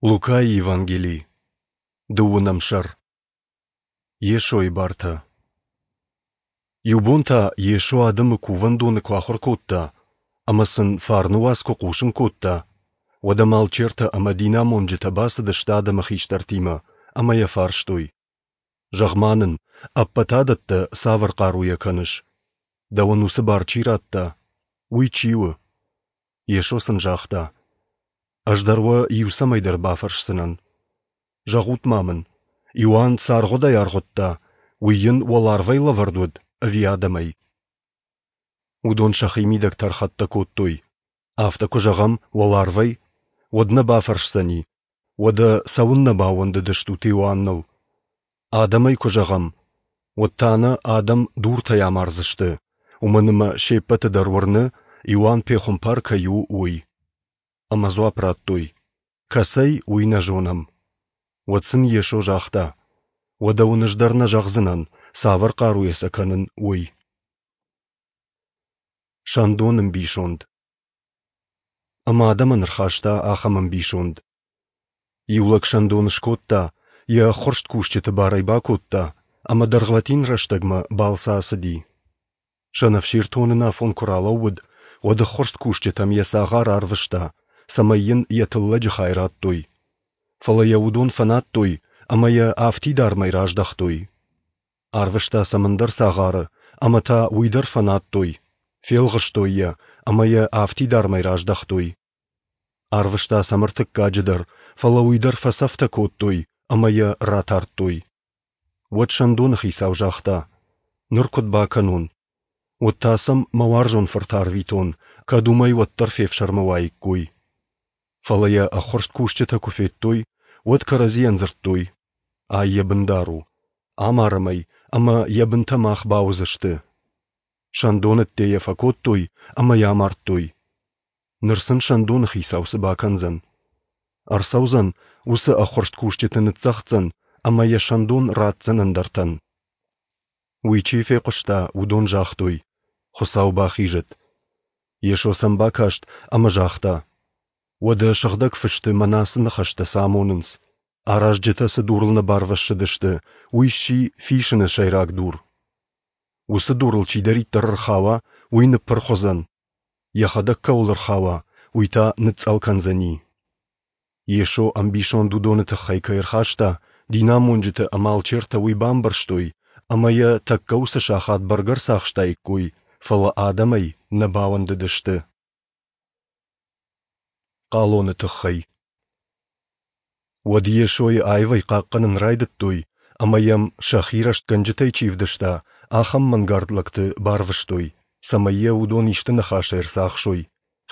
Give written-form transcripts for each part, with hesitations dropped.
Лукайы Евангели, дыууынӕм сӕр. Йесойы бартӕ. Иу бон та Йесо адӕмы кувӕндоны куы ахуыр кодта ӕмӕ сын фарны уац куы хъусын кодта, уӕд ӕм алчертӕ ӕмӕ динамонджытӕ бацыдысты адӕмы хистӕртимӕ ӕмӕ йӕ фарстой: Зӕгъ-ма нын, ӕппӕт адӕттӕ цавӕр хъаруйӕ кӕныс? Дӕуӕн уыцы бар чи радта, уый чи у? Йесо сын загъта: Ӕз дӕр уӕ иу цӕмӕйдӕр бафӕрсдзынӕн. Зӕгъут-ма мын, Иоанн цы аргъуыдӕй аргъуыдта, уый йын уӕларвӕй лӕвӕрд уыд ӕви адӕмӕй? Уыдон сӕхимидӕг тӕрхӕттӕ кодтой. Афтӕ куы зӕгъӕм уӕларвӕй, уӕд нӕ бафӕрсдзӕни, уӕдӕ цӕуыннӕ баууӕндыдыстут Иоанныл? Адӕмӕй куы зӕгъӕм, уӕд та нӕ адӕм дуртӕй амардзысты, уымӕн ӕмӕ се ппӕты дӕр уырны, Иоанн пехуымпар кӕй у, уый. Ӕмӕ дзуапп радтой: Кӕцӕй, уый нӕ зонӕм. Уӕд сын Йесо загъта: Уӕдӕ уын ӕз дӕр нӕ зӕгъдзынӕн, цавӕр хъаруйӕ сӕ кӕнын, уый. Сӕндон ӕмбисонд. Ӕмӕ адӕмӕн ӕрхаста ахӕм ӕмбисонд. Иу лӕг сӕндон скодта, йӕ ӕххуырст кусджыты барӕй бакодта ӕмӕ дӕргъвӕтин рӕстӕгмӕ балцы ацыди. Сӕнӕфсир тоныны афон куы ралӕууыд, уӕд ӕххуырст кусджытӕм йӕ цагъар арвыста, цӕмӕй йын йӕ тыллӕджы хай радтой. Фӕлӕ йӕ уыдон фӕнадтой ӕмӕ йӕ афтидармӕй раздӕхтой. Арвыста сӕм ӕндӕр цагъары, ӕмӕ та уый дӕр фӕнадтой, фелгъыстой йӕ ӕмӕ йӕ афтидармӕй раздӕхтой. Арвыста сӕм ӕртыккаджы дӕр, фӕлӕ уый дӕр фӕцӕфтӕ кодтой ӕмӕ йӕ ратардтой. Уӕд сӕндоны хицау загъта: «Ныр куыд бакӕнон? Уӕд та сӕм мӕ уарзон фырт арвитон, кӕд уымӕй уӕддӕр фефсӕрмы уаиккой». Фӕлӕ йӕ ӕххуырст кусджытӕ куы федтой, уӕд кӕрӕдзийӕн дзырдтой: «Ай йӕ бындар у. Амарӕм ӕй, ӕмӕ йӕ бынтӕ мах бауыдзысты». Сӕндоны ӕдде йӕ фӕкодтой ӕмӕ йӕ амардтой. Ныр сын сӕндоны хицау цы бакӕндзӕн? Ӕрцӕудзӕн, уыцы ӕххуырст кусджыты ныццӕгъддзӕн ӕмӕ йӕ сӕндон ратдзӕн ӕндӕртӕн. Уый чи фехъуыста, уыдон загътой: Хуыцау бахизӕд. Йесо сӕм бакаст ӕмӕ загъта: Уӕдӕ Сыгъдӕг Фысты мӕнӕ ацы ныхӕстӕ цы амонынц? Аразджытӕ цы дурыл нӕ барвӕссыдысты, уый сси фисыны сӕйраг дур. Уыцы дурыл чидӕриддӕр ӕрхауа, уый ныппырх уыдзӕн, йӕхӕдӕг кӕуыл ӕрхауа, уый та ныцъцъӕл кӕндзӕни. Йесо ӕмбисонд уыдоны тыххӕй кӕй ӕрхаста, динамонджытӕ ӕмӕ алчертӕ уый бамбӕрстой ӕмӕ йӕ тӕккӕ уыцы сахат бӕргӕ ӕрцахстаиккой, фӕлӕ адӕмӕй нӕ бауӕндыдысты. Хъалоны тыххӕй. Уӕд Йесойы аивӕй хъахъхъӕнын райдыдтой ӕмӕ йӕм, сӕхи рӕстгӕнджытӕй чи ӕвдыста, ахӕм мӕнгард лӕгты барвыстой, цӕмӕй йӕ уыдон исты ныхасӕй ӕрцахсой,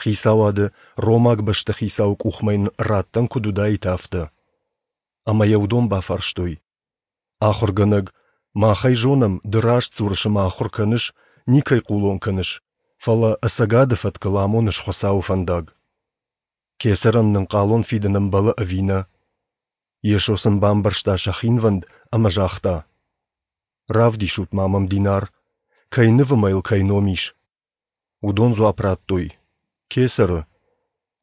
хицауады ромаг бӕстыхицауы къухмӕ йын раттӕн куыд уыдаид, афтӕ. Ӕмӕ йӕ уыдон бафарстой: Ахуыргӕнӕг, мах ӕй зонӕм, ды раст дзурыс ӕмӕ ахуыр кӕныс, никӕй хъулон кӕныс, фӕлӕ ӕцӕгады фӕткыл амоныс Хуыцауы фӕндаг. Кесӕрӕн нын хъалон фидын ӕмбӕлы ӕви нӕ? Йесо сын бамбӕрста сӕ хинвӕнд ӕмӕ загъта: Равдисут-ма мӕм динар, кӕй ныв ӕмӕ йыл кӕй ном ис? Уыдон дзуапп радтой: Кесӕры.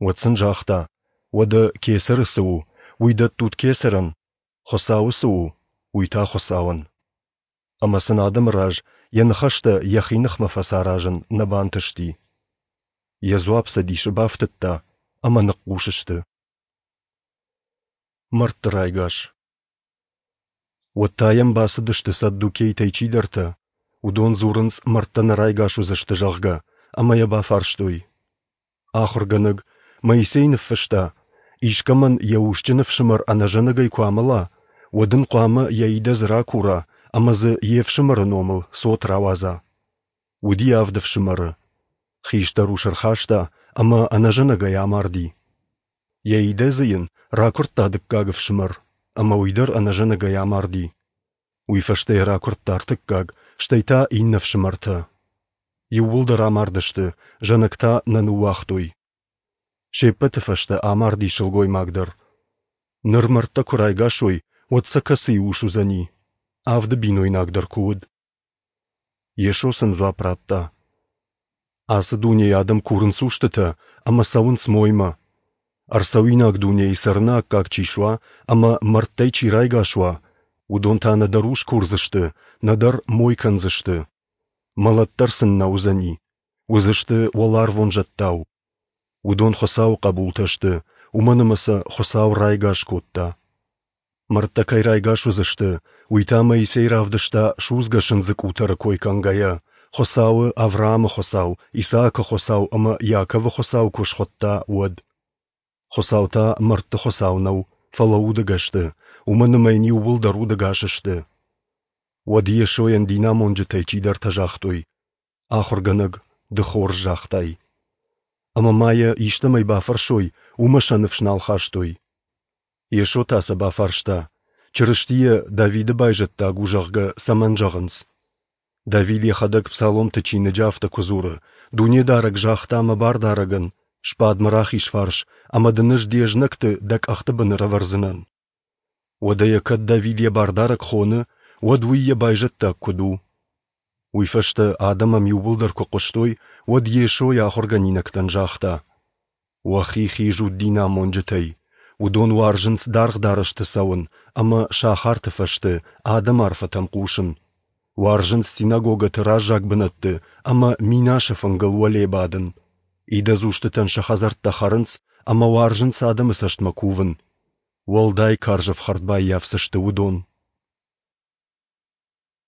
Уӕд сын загъта: Уӕдӕ кесӕры цы у, уый дӕттут кесӕрӕн, Хуыцауы цы у, уый та Хуыцауӕн. Ӕмӕ сын адӕмы раз йӕ ныхӕстӕ йӕхи ныхмӕ фӕцаразын нӕ бантысти. Йӕ дзуапп сӕ дисы бафтыдта, ӕмӕ ныхъхъус сты. Мӕрдты райгас. Уӕд та йӕм бацыдысты саддукейтӕй чидӕртӕ, уыдон дзурынц, мӕрдтӕ нӕ райгас уыдзысты, зӕгъгӕ, ӕмӕ йӕ бафарстой. Ахуыргӕнӕг Моисей ныффыста, искӕмӕн йӕ усджын ӕфсымӕр ӕнӕзӕнӕгӕй куы амӕла, уӕд ын хъуамӕ йӕ идӕдз ракура ӕмӕ дзы йе фсымӕры номыл цот рауадза. Уыди авд ӕфсымӕры. Хистӕр ус ӕрхаста ӕмӕ ӕнӕзӕнӕгӕй амарди. Йӕ идӕдзы йын ракуырдта дыккаг ӕфсымӕр, ӕмӕ уый дӕр ӕнӕзӕнӕгӕй амарди. Уый фӕстӕ йӕ ракуырдта ӕртыккаг, стӕй та иннӕ ӕфсымӕртӕ. Иууылдӕр амардысты, зӕнӕг та нӕ ныууагътой. Се ппӕты фӕстӕ амарди сылгоймаг дӕр. Ныр мӕрдтӕ куы райгас уой, уӕд сӕ кӕцыйы ус уыдзӕни? Авды бинойнаг дӕр куы уыд. Йесо сын дзуапп радта: Ацы дунейы адӕм курынц устытӕ ӕмӕ цӕуынц моймӕ. Ӕрцӕуинаг дунейы цӕрыны аккаг чи суа ӕмӕ мӕрдтӕй чи райгас уа, уыдон та нӕдӕр ус курдзысты, нӕдӕр мой кӕндзысты. Мӕлӕт дӕр сын нӕ уыдзӕни, уыдзысты уӕларвон зӕдтау. Уыдон Хуыцауы хъӕбултӕ сты, уымӕн ӕмӕ сӕ Хуыцау райгас кодта. Мӕрдтӕ кӕй райгас уыдзысты, уый та Моисей равдыста судзгӕ сындзы къутӕры кой кӕнгӕйӕ, Хуыцауы Авраамы Хуыцау, Исаакы Хуыцау ӕмӕ Иаковы Хуыцау куы схуыдта, уӕд. Хуыцау та мӕрдты Хуыцау нӕу, фӕлӕ удӕгӕсты, уымӕн ӕмӕ йын иууылдӕр удӕгас сты. Уӕд Йесойӕн динамонджытӕй чидӕртӕ загътой: Ахуыргӕнӕг, ды хорз загътай. Ӕмӕ ма йӕ истӕмӕй бафӕрсой, уымӕ сӕ ныфс нал хастой. Йесо та сӕ бафарста, Чырыстийӕ Давиды байзӕддаг у, зӕгъгӕ, цӕмӕн зӕгъынц? Давид йӕхӕдӕг Псаломты чиныджы афтӕ куы дзуры, Дунедарӕг загъта мӕ бардарӕгӕн, сбад мӕ рахиз фарс, ӕмӕ дын ӕз де знӕгты дӕ къӕхты бын ӕрӕвӕрдзынӕн. Уӕдӕ йӕ кӕд Давид йӕ бардарӕг хоны, уӕд уый йӕ байзӕддаг куыд у? Уый фӕстӕ адӕм ӕм иууылдӕр куы хъуыстой, уӕд Йесо йӕ ахуыргӕнинӕгтӕн загъта: Уӕхи хизут динамонджытӕй. Уыдон уарзынц даргъ дарӕсты цӕуын ӕмӕ сахарты фӕзты адӕмы арфӕтӕм хъусын. Уарзынц синагогӕты раззаг бынӕтты ӕмӕ минасы фынгыл уӕле бадын. Идӕдз устытӕн сӕ хӕдзӕрттӕ хӕрынц ӕмӕ уарзынц адӕмы цӕстмӕ кувын. Уӕлдай карз ӕфхӕрд баййафдзысты уыдон.